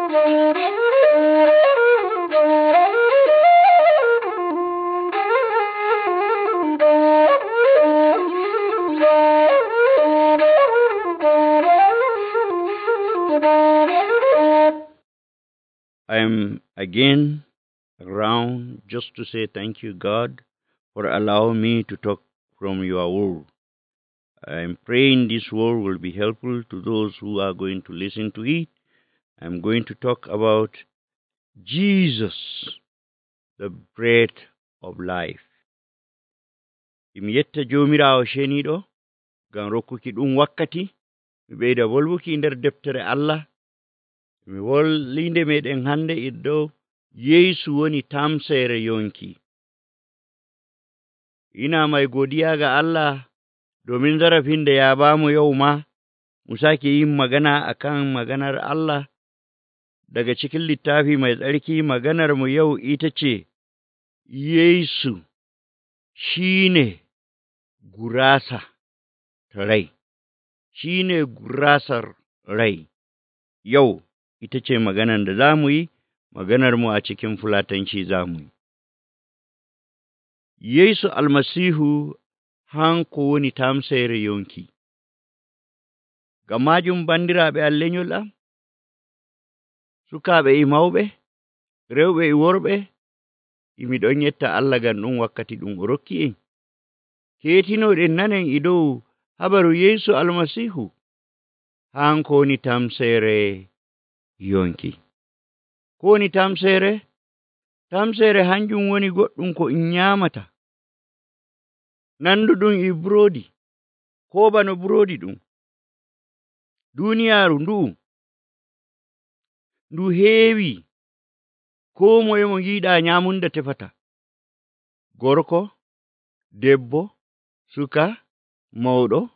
I am again around just to say thank you, God, for allowing me to talk from your word. I am praying this word will be helpful to those who are going to listen to it. I'm going to talk about Jesus, the bread of life. Imi yetta jomirawo sheniɗo ngam rokkuki ɗum wakkati mi ɓeyda volwuki nder deftere Allah. Mi wollinde meɗen hande iddo Yesu woni tamsere yonki. Ina mai godiya ga Allah domin zarafin da ya bamu yau ma mu sake yin magana akan maganar Allah daga cikin littafi mai tsarki. Maganar mu yau ita ce Yesu shine gurasa ta rai. Shine gurasar rai. Yau ita ce maganar da zamu yi, maganar mu a cikin Fulatanci zamu yi. Yesu almasihu hanko woni tamsere yonki. Ngam majum bandiraɓe am lenyol am, sukaaɓe e mawɓe, rewɓe e worɓe, imi ɗon yetta Allah ngam ɗum wakkati ɗum o rokki en. Keetinoɗen nanen e dow habaru Yesu almasihu hanko woni tamsere yonki. Ko woni tamsere? Tamsere hanjum woni goɗɗum ko en nyamata, nanduɗum e burodi, ko bano burodi ɗum. Duniyaaru ndu heewi, ko moye mo giɗa nyamunda tefata. Gorko, debbo, suka, mawɗo,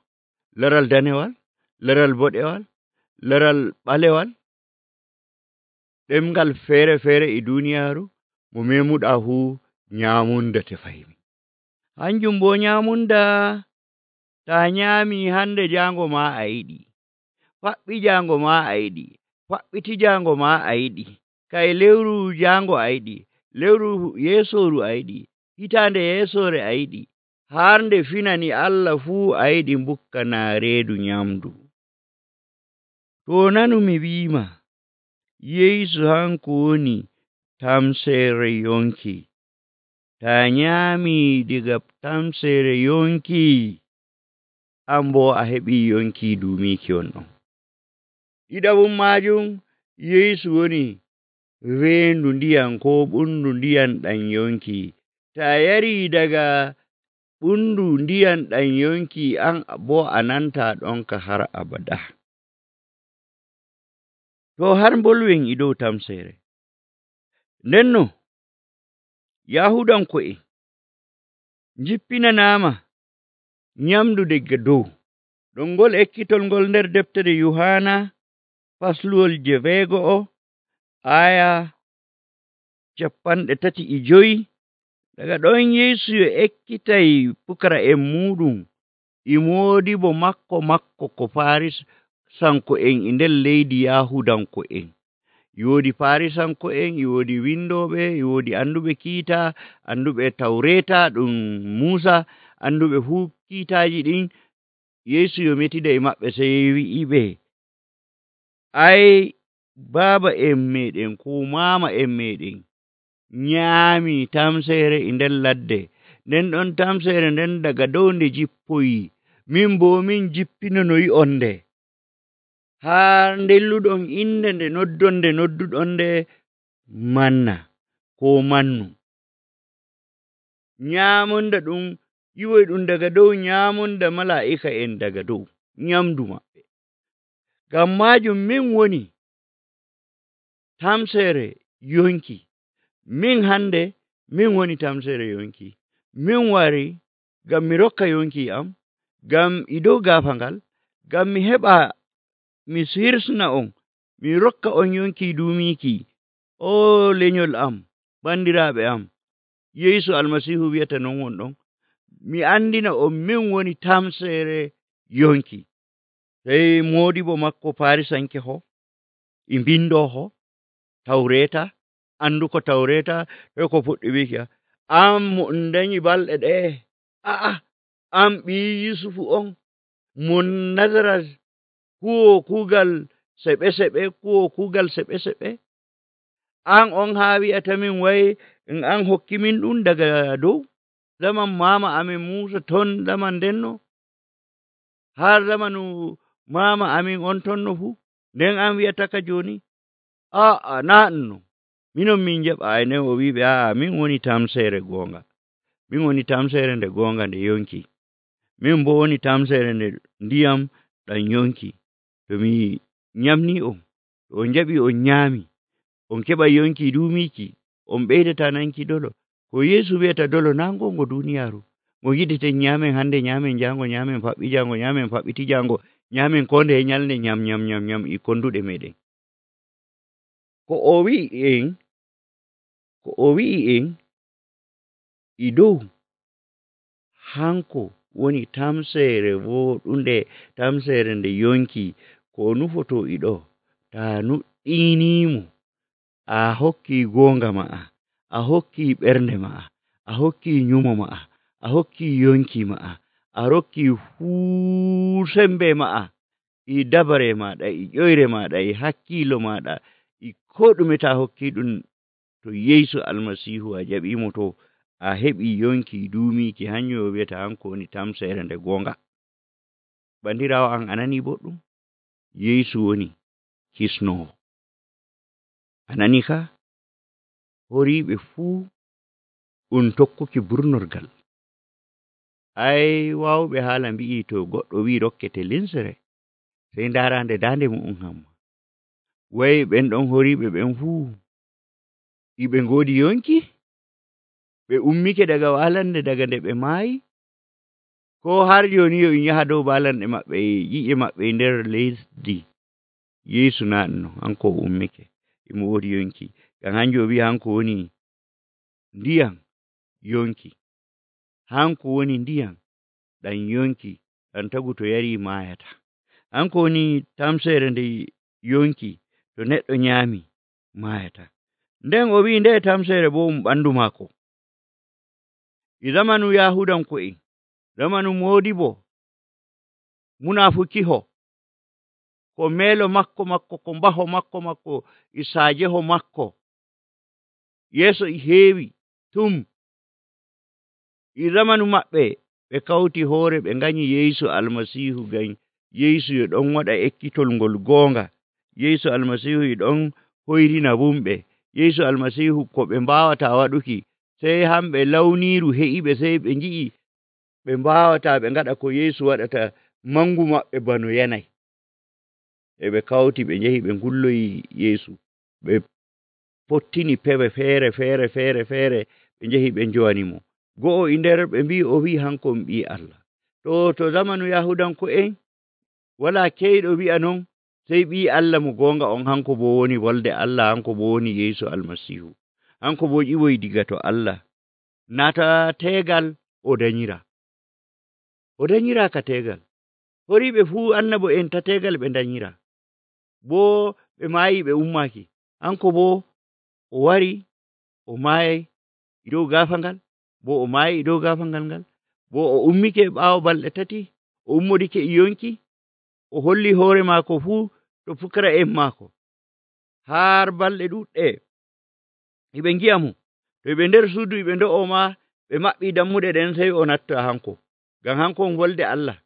laral danewal, laral boɗewal, laral ɓalewal, ɗemgal feere feere e duniyaaru mo memuɗa fu nyamunda tefaymi. Hanjum bo nyamunda ta nyami hande jango ma a yiɗi, faɓɓi jango ma a yiɗi, faɓɓiti jango ma a yiɗi, kay lewru jango a yiɗi, lewru yesoru a yiɗi, hitande yesore a yiɗi, har nde finani Allah fu a yiɗi bukkana reedu nyamdu. To nanu mi wiima Yesu hanko woni tamsere yonki. Ta nyami diga tamsere yonki, ambo a heɓi yonki dumiki on ɗon. Ɗiɗabum majum Yesu woni reendu ndiyan ko ɓundu ndiyan ɗan yonki. Ta yari daga ɓundu ndiyan ɗan yonki an bo a nanta ɗonka har abada. To har bolwen e dow tamsere. Nenno Yahudanko'en jippinanama nyamdu daga dow. Ɗon ngol ekkitol ngol nder deftere Yohana fasluwol 6 aya 35. Daga ɗon Yesu yo ekkitay pukara'en muɗum e moodibo makko ko Farisanko'en e nder leydi Yahudanko'en. Yoodi Farisanko'en, yoodi windoɓe, yoodi anduɓe kiita, anduɓe Tawreta ɗum Musa, anduɓe fu kiitaji ɗin. Yesu yo metida e maɓɓe sey wi'iɓe, ai baba en meɗen ko mama en meɗen nyaami tamsere e nder ladde, nden ɗon tamsere nden daga dow nde jippoyi, min bo min jippinonoyi on nde, haa ndelluɗon inde nde nodduɗon nde manna ko mannu. Nyamunda ɗum yiwoy ɗum daga dow, nyamunda mala'ika en daga dow, nyamdu maɓɓe. Ngam majum min woni tamsere yonki. Min hande min woni tamsere yonki. Min wari ngam mi rokka yonki am, ngam e dow gafangal, ngam mi heɓa mi hirsna on, mi rokka on yonki dumiki. O lenyol am, bandiraɓe am, Yesu almasihu wiyata non wonɗon. Mi andina on min woni tamsere yonki. Hey modibo makko Farisanke ho, e bindo ho, tawreta anduko tawreta e ko fuɗɗi wiki am mo dañi balɗe ɗe am ɓii Yusufu on mon Nazaret huwo kuugal seɓe seɓe an on haa wi'atamin way an hokkimin ɗum daga dow zaman mama amin Musa ton zaman denno har zamanu mama amin on tonno fuu nden an wi'ataka joni naanno minon min jaɓa nden o wiɓe min woni tamsere gonga min woni tamsere nde gonga nde yonki min bo woni tamsere nde ndiyam ɗan yonki to mi nyamni on to on jaɓi on nyami on keɓa yonki dumiki on ɓeydata nanki dolo ko Yesu wi'ata dolo na gongo duniyaru mo yiɗeten nyamen hande nyamen jango nyamen faɓɓi jango nyamen faɓɓiti jango nyamen ko nde nyalde nyam e konduɗe meɗen ko o wi'i en e dow hanko woni tamsere woɗunde tamsere nde yonki ko nufoto e ɗo ta nuɗɗinimo a hokki gonga ma'a a hokki ɓernde ma'a a hokki nyumo ma'a a hokki yonki ma'a a hokki fuu sembe ma'a e dabare maɗa e ƴoyre maɗa e hakkilo maɗa e ko ɗume ta hokki ɗum to Yesu almasihu a jaɓimo to a heɓi yonki duumiki hanyo o wi'ata hanko woni tamsere nde gonga bandirawo an anani boɗɗum Yesu woni kisnowo anani ka horiɓe fuu ɗum tokkuki burnorgal wawɓe haala mbi'i to goɗɗo wi rokkete linsere sey darande dande mu'um hamma way ɓen ɗon horiɓe ɓen fuu iɓe ngodi yonki ɓe ummike daga walande daga nde ɓe maayi ko har joni yo in yaha dow balanɗe maɓɓe yi'e maɓɓe nder lesdi Yesu naɗno hanko ummike imo wodi yonki ngam hanjo o wi hanko woni ndiyam yonki hanko woni ndiyam ɗan yonki ɗan tagu to yari mayata hanko woni tamsere nde yonki to neɗɗo nyami mayata nden o wi nde tamsere bo ɓandu mako e zamanu yahudanko'en zamanu modibo munafukiho ko melo makko ko mbaho makko e sajeho makko yeso e heewi tum e zamanu maɓɓe ɓe kawti hoore ɓe nganyi Yesu almasihu gan Yesu e ɗon waɗa ekkitol ngol gonga Yesu almasihu e ɗon hoyrina bumɓe Yesu almasihu ko ɓe mbawata waɗuki sey hamɓe lawniru he'iɓe sey ɓe ngi'i ɓe mbawata ɓe ngada ko Yesu waɗata mangu maɓɓe bano yanay e ɓe kawti ɓe njehi ɓe ngulloyi Yesu ɓe pottini pewe feere ɓe njehi ɓe njowanimo go'o e nder ɓe mbi o wi hanko ɓi Allah to zamanu yahudanko'en wala keyɗo wi'a non sey ɓi Allah mo gonga on hanko bo woni wolde Allah hanko bo woni Yesu almasihu hanko bo ƴiwoy diga to Allah nata tegal o danyira ka tegal horiɓe fuu annabo en ta tegal ɓe danyira bo ɓe maayi ɓe ummaki hanko bo o wari o maayay dow gafangal bo o maayi dow gafangal ngal bo o ummike ɓaawo balɗe 3 o ummodike e yonki o holli hoore maako fuu to pukara'en maako har balɗe ɗuɗɗe iɓe ngi'amo to ɓe nder suudu ɓe ndo'o ma ɓe maɓɓi dammuɗe ɗen sey o natta hanko ngam hanko on wolde Allah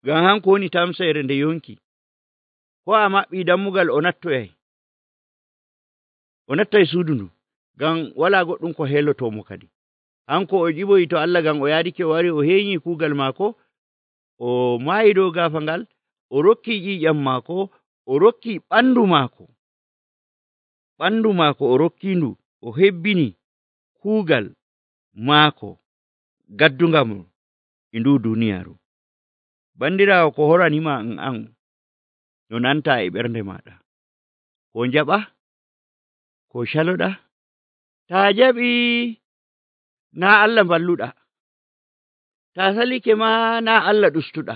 ngam hanko woni tamsere nde yonki ko a maɓɓi dammugal o nattay suudu ndu ngam wala goɗɗum ko helotomo kadi hanko o ƴiɓoyi to Allah ngam o yaadike o wari o heeñi kuugal maako o maayi dow gafangal o rokki ƴiƴam maako o rokki ɓandu maako o rokkindu o hebbini kuugal maako gaddungam e ndu duniyaru bandirawo ko horanima an no nanta e ɓernde maɗa ko jaɓa ko caloɗa ta jaɓi na Allah balluɗa ta salike ma na Allah ɗustuɗa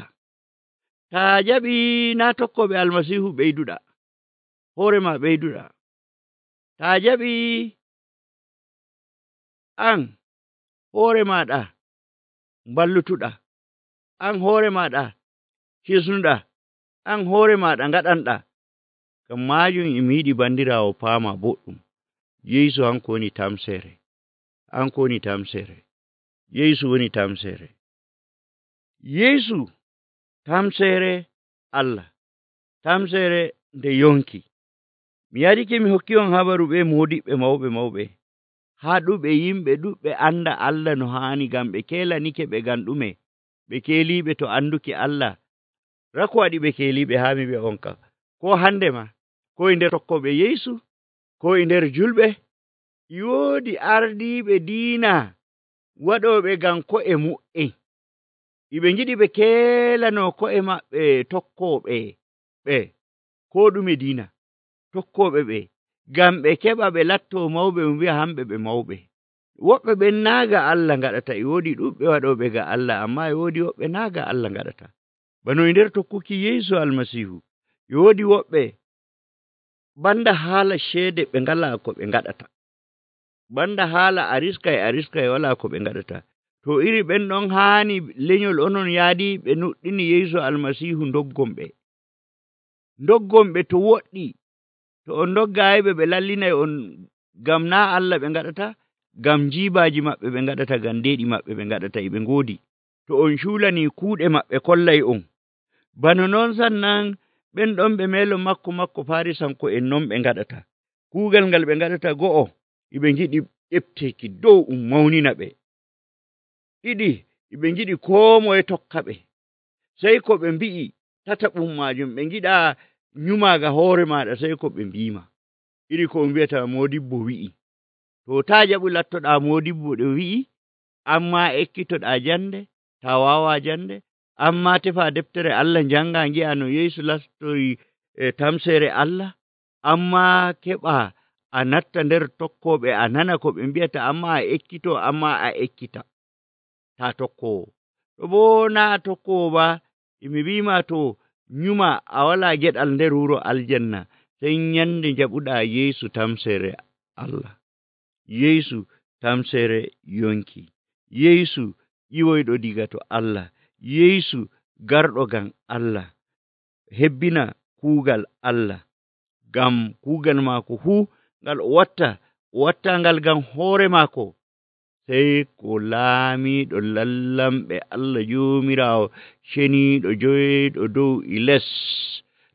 ta jaɓi na tokkoɓe almasihu ɓeyduɗa hoore ma ɓeyduɗa taa jaɓi an hoore maaɗa ballutuɗa, an hoore maaɗa hisnuɗa, an hoore maaɗa ngaɗanɗa. Ngam maajum emi yiɗi bandiraawo paama boɗɗum. Yeesu hanko woni tamseere. Hanko woni tamseere. Yeesu woni tamseere. Yeesu tamseere Allah. Tamseere nde yonki. Mi yarike mi hokki on habaru ɓe moodiɓɓe mawɓe. Haɗuɓe yimɓe ɗuɓɓe anda Allah no haani, ngam ɓe keelanike ɓe ngam ɗume? Ɓe keeliɓe to anduki Allah. Rako waɗi ɓe keeliɓe haa mi wi'a on kam. Ko hande ma, ko e nder tokkoɓe Yeesu, ko e nder julɓe, woodi ardiiɓe diina waɗoɓe ngam ko'e mu'en. Iɓe ngiɗi ɓe keelano ko'e maɓɓe tokkoɓe ɓe, ko ɗume diina, tokkoɓe ɓe, ngam ɓe keɓa ɓe latto mawɓe, wi'a hamɓe ɓe mawɓe. Woɓɓe ɓen naaga Allah ngaɗata, e woodi ɗuɓɓe waɗoɓe ga Allah, amma e woodi woɓɓe naaga Allah ngaɗata. Bano e nder tokkuki Yeesu Almasiihu, e woodi woɓɓe banda haala ceede ɓe ngalaa ko ɓe ngaɗata. Banda haala ariska walaa ko ɓe ngaɗata. To iri ɓen ɗon haani lenyol onon yaadi ɓe nuɗɗini Yeesu Almasiihu ndoggon ɓe to woɗɗi. To on doggaayiɓe ɓe lallinay on, ngam naa Allah ɓe ngaɗata, ngam jiibaaji maɓɓe ɓe ngaɗata, ngam deeɗi maɓɓe ɓe ngaɗata, e ɓe ngoodi. To on cuulanii kuuɗe maɓɓe kollay on. Bano noon sannan ɓen ɗon ɓe meelo makko Farisanko en non ɓe ngaɗata. Kuugal ngal ɓe ngaɗata go'o, eɓe ngiɗi ƴefteki dow mawnina ɓe. Ɗiɗi, eɓe ngiɗi koo moye tokka ɓe. Sey ko ɓe mbi'i tataɓum maajum, ɓe ngiɗa nyumaaga hoore maaɗa, sey ko ɓe mbiima. Iri ko on wi'ata moodibbo wi'i. To taa jaɓu lattoɗaa moodibbo ɗo wi'i, amma ekkitoɗaa jande, taa waawaa jande, amma tefa deftere Allah njanga ngi'a no Yeesu lastori tamseere Allah, amma keɓa a natta nder tokkoɓe, a nana ko ɓe mbi'ata, amma a ekkito, amma a ekkita. Taa tokkowo. To boo naa tokkowo ba, emi wiima to nyuma a walaa geɗal nder wuro aljanna, sey nyande jaɓuɗaa Yeesu tamseere Allah. Yeesu tamseere yonki. Yeesu ƴiwoyɗo diga to Allah. Yeesu garɗo ngam Allah. Hebbina kuugal Allah. Ngam kuugal maako fuu ngal o watta ngal ngam hoore maako. Sey ko laamiiɗo lallamɓe Allah Joomiraawo ceniiɗo joyɗo dow e les,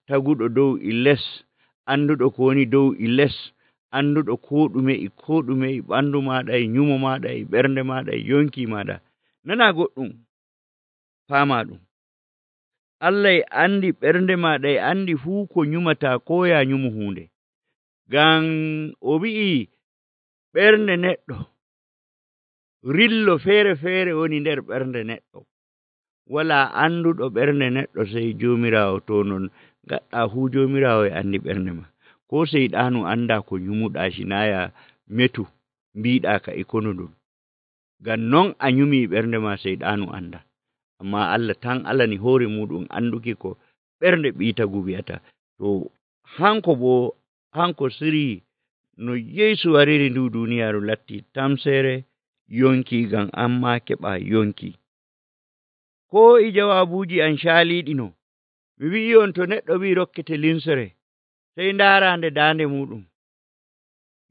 taguɗo dow e les, annduɗo ko woni dow e les, annduɗo ko ɗume e ɓandu maaɗa, e nyumo maaɗa, e ɓernde maaɗa, e yonki maaɗa. Nana goɗɗum, faama ɗum. Allah e andi ɓernde maaɗa, e andi fuu ko nyumata, ko ya nyumu hunde. Ngam o wi'i ɓernde neɗɗo, rillo feere woni nder ɓernde neɗɗo. Walaa annduɗo ɓernde neɗɗo sey Joomiraawo. To non gaɗɗaa fuu Joomiraawo e andi ɓernde ma. Ko seyɗaanu anndaa ko nyumuɗaa, sinaya metu mbiɗaa ka e kono ɗum. Ngam non a nyumii ɓernde ma, seyɗaanu annda. Amma Allah tan alani hoore muɗum anduki ko ɓernde ɓiitagu wi'ata. To hanko sirii no Yeesu wariri ndu duniyaaru latti tamseere yonki, ngam amma keɓa yonki. Ko e jawaabuuji an caaliiɗino, mi wi'i on to neɗɗo wi'i rokkete linsere, sey ndaaraande daande muɗum.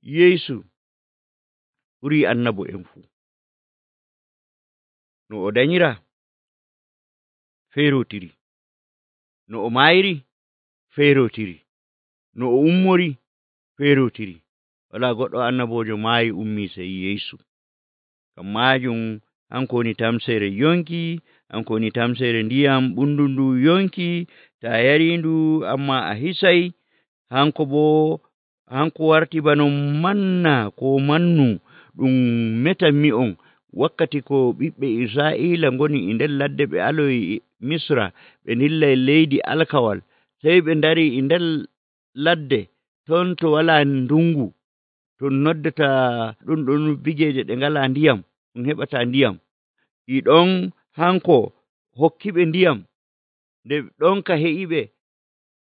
Yeesu ɓurii annabo en fuu. No o danyira feerotiri, no o maayiri feerotiri, no o ummori feerotiri. Walaa goɗɗo annaboojo maayi ummii sey Yeesu. Ngam maajum hanko woni tamseere yonki, hanko woni tamseere ndiyam ɓundundu yonki, taa yarindu amma a hisay. Hanko warti bano manna ko mannu ɗum metanmi on wakkati ko ɓiɓɓe Israa'iila ngoni e nder ladde, ɓe aloyi Misra, ɓe dillay leydi alkawal, sey ɓe ndari e nder ladde ton to walaa ndungu, to noddata ɗum bigeeje ɗe ngalaa ndiyam, ɗum heɓata ndiyam. E ɗon hanko hokkiɓe ndiyam, nde ɗon ka heƴiɓe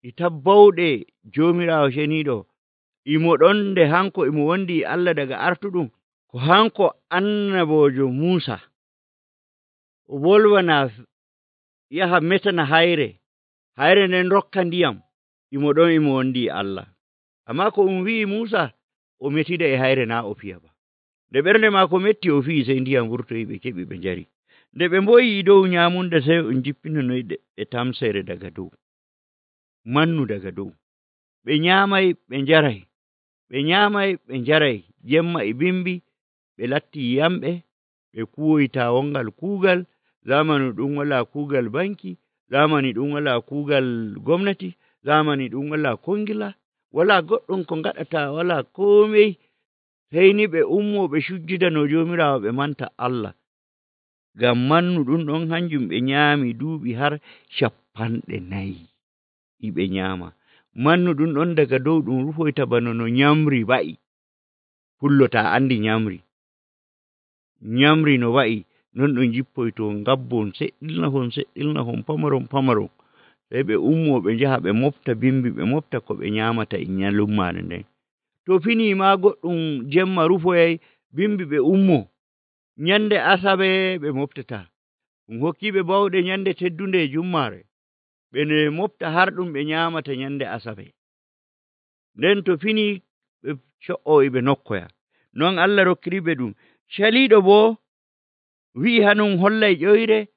e tabbawɗe Joomiraawo ceniiɗo, imo ɗon nde hanko imo wondi Allah daga artuɗum, ko hanko annabojo Musa o wolwana yaha metana hayre nden rokka ndiyam, imo ɗon imo wondi Allah. Amma ko wi'i Musa o metida e hayre na o fiya ba. Nde ɓernde maako metti o fi'i sey ndiyam wurtoyi ɓe keɓi ɓe njari. Nde ɓe mboyi dow nyamunda sey on jippinonoyi e tamsere daga dow, mannu daga dow. Ɓe nyamay ɓe njaray, ɓe nyamay ɓe njaray, jemma e bimbi ɓe latti yamɓe, ɓe kuwoyta wongal kuugal, zamanu ɗum wala kuugal banki, zamani ɗum wala kuugal gomnati, zamani ɗum wala kongila, wala goɗɗum ko ngaɗata, wala komai, sey ni ɓe ummo ɓe sujjidano Jomirawo ɓe manta Allah. Ngam mannu ɗum ɗon hanjum ɓe nyaami duuɓi har 40 ɓe nyaama. Mannu ɗum ɗon daga dow ɗum rufoyta bana no nyamri wa'i. Pullo ta andi nyamri no wa'i, non ɗum jippoyto ngabbon seɗɗilnahon pamaron. Sey ɓe ummo ɓe njaha ɓe mofta bimbi, ɓe mofta ko ɓe nyamata e nyalummaare nden. To fini ma goɗɗum jemma rufoyay, bimbi ɓe ummo. Nyande Asawe ɓe moftata. Ɗum hokkiɓe bawɗe nyande teddunde Jummaare. Ɓe mofta har ɗum ɓe nyamata nyande Asawe. Nden to fini ɓe co'oyi ɓe nokkoya. Non Allah rokkiriɓe ɗum. Caliɗo bo wi'i hanum hollay ƴoyre,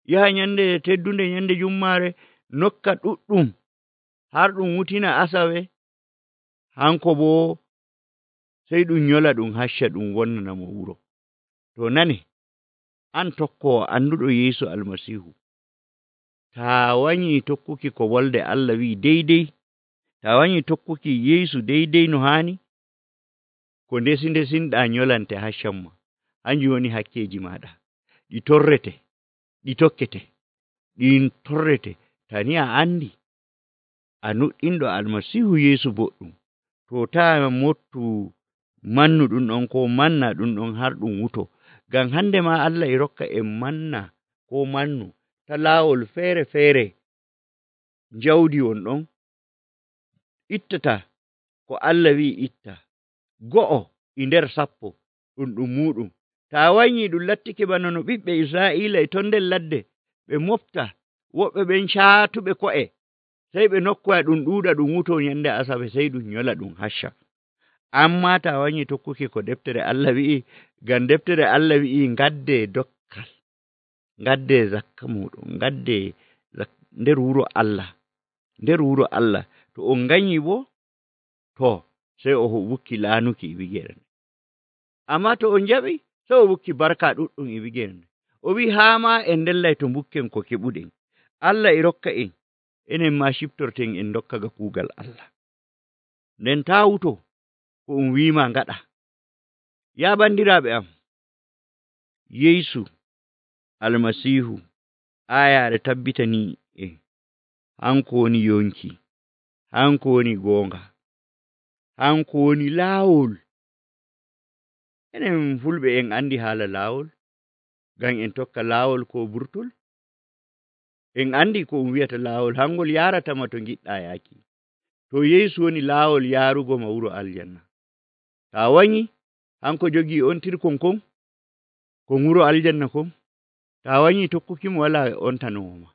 yaha nyande teddunde nyande Jummaare, nokka ɗuɗɗum har ɗum wutina Asawe. Hanko bo sey ɗum nyola ɗum hacca ɗum wonnana mo wuro. To nane, an tokkowo anduɗo Yeesu Almasihu, ta wanyi tokkuki ko wolde Allah wi deydey, ta wanyi tokkuki Yeesu deydey no hani, ko ndesinɗa nyolante haccamma, hanjum woni hakkeji maɗa. Ɗi torrete, ɗi tokkete, ɗin torrete. Tani a andi a nuɗɗinɗo Almasihu Yeesu boɗɗum, to ta mottu mannu ɗum ɗon ko manna ɗum ɗon har ɗum wuto. Ngam hande ma Allah e rokka en manna ko mannu ta laawol feere jawdi won ɗon ittata ko Allah wi itta, go'o e nder 10 ɗum muɗum. Ta wanyi ɗum lattike bana no ɓiɓɓe Israa'ila e ton nder ladde ɓe mofta, woɓɓe ɓen caatuɓe ko'e, sey ɓe nokkoya ɗum ɗuuɗa ɗum wuto nyande Asawe, sey ɗum nyola ɗum hacca. Amma ta wanyi tokkuki ko deftere Allah wi'i, ngam deftere Allah wi'i ngadde dokkal, ngadde zakka muɗum, ngadde nder wuro Allah. To on ganyi bo, to sey o wukki laanuki e wigere. Amma to on jaɓi, sey o wukki barka ɗuɗɗum e wigere. O wi haa ma en ndellay to bukken ko keɓuɗen. Allah e rokka en, enen ma ciftorten en dokka ga kuugal Allah. Nden ta wuto ko on wiima ngaɗa. Ya bandiraɓe am, Yeesu Almasihu ayare tabbitani hanko woni yonki, hanko woni goonga, hanko woni laawol. Enen fulɓe en andi haala laawol, ngam en tokka laawol ko burtol. En andi ko on wiyata laawol, hangol yaratama to giɗɗa yaaki. To Yeesu woni laawol yaarugo ma wuro aljanna. Ta wanyi hanko jogi on tirkon kon wuro aljanna kon, ta wanyi tokkukimo wala ontanoma.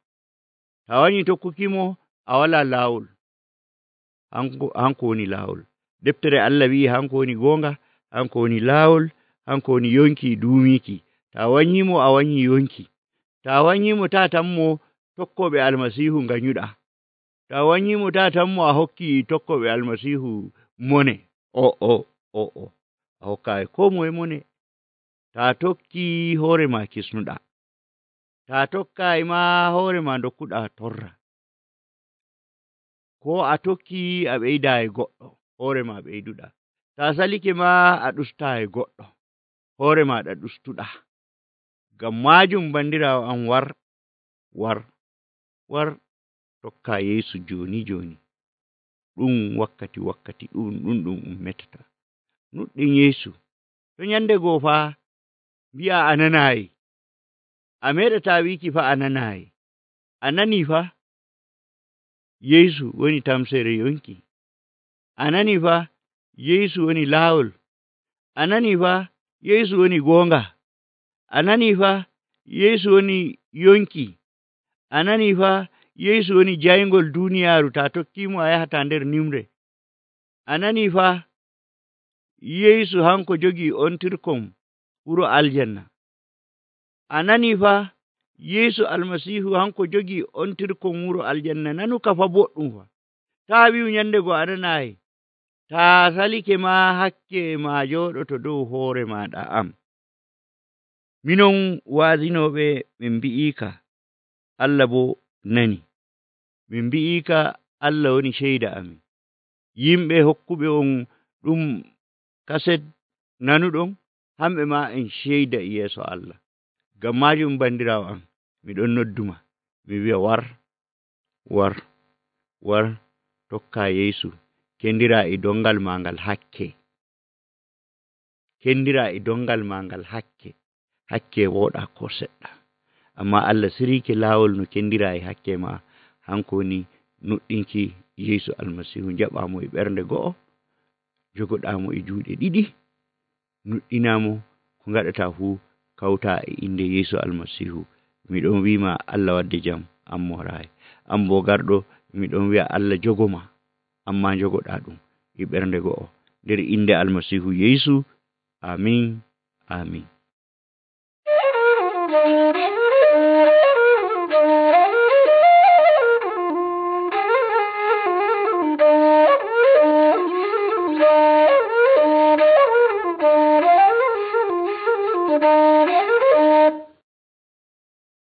Ta wanyi tokkukimo a wala laawol. Hanko woni laawol. Deftere Allah wi hanko woni goonga, hanko woni laawol, hanko woni yonki duumiki. Ta wanyimo a wanyi yonki. Ta wanyimo ta tammo tokkoɓe Almasihu nganyuɗa. Ta wanyimo ta tammo a hokki tokkoɓe Almasihu mone. A hokkayi ko moye mone. Ta tokki hoore ma kisnuɗa. Ta tokkayi ma hoore ma dokkuɗa torra. Ko a tokki a ɓeyda e goɗɗo, hoore ma ɓeyduɗa. Ta salike ma a ɗusta e goɗɗo, hoore maɗa ɗustuɗa. Ngam majum bandirawo am war tokka Yeesu joni. Ɗum wakkati ɗum metata. Nuɗɗin Yeesu. To nyande goo fa mbi'a a nanayi. A meɗata wiki fa a nanayi. A nani fa Yeesu woni tamsere yonki. A nani fa Yeesu woni laawol. A nanii fa Yeesu woni goonga. A nanii fa Yeesu woni yonki. A nanii fa Yeesu woni jayngol duuniyaaru. Taa tokkiimo a yahataa nder nimre. A nanii fa Yeesu hanko jogii ontirkon wuro aljanna. A nanii fa Yeesu almasiihu hanko jogii ontirkon wuro aljanna. Nanuka fa boɗɗum fa. Taa wi'u nyande go a nanaayi. Taa salike maa hakke maa jooɗoto dow hoore maaɗa am. Minon waazinooɓe min mbi'iika Allah boo nani. Min mbi'iika Allah woni ceyda amin. Yimɓe hokkuɓe on ɗum kaset nanuɗon hamɓe maa en ceyda e yeeso Allah. Ngam maajum bandiraawo am miɗon nodduma mi wi'a war tokkaa Yeesu. Kendiraa e dongal maa ngal hakke. Kendiraa e dongal maa ngal hakke. Hakke wooɗaa ko seɗɗa. Ammaa Allah siriike laawol no kendiraa e hakke maa. Hanko woni nuɗɗinki Yeesu almasiihu. Jaɓaamo e ɓernde go'o, jogoɗaamo e juuɗe ɗiɗi, nuɗɗinaamo ko ngaɗataa fuu kawtaa e innde Yeesu almasiihu. Miɗon wiima Allah wadde jam, an mooraayi. An boo garɗo miɗon wi'a Allah jogoma, ammaa jogoɗaa ɗum e ɓernde go'o. Nder innde almasiihu Yeesu. Amin. Amin.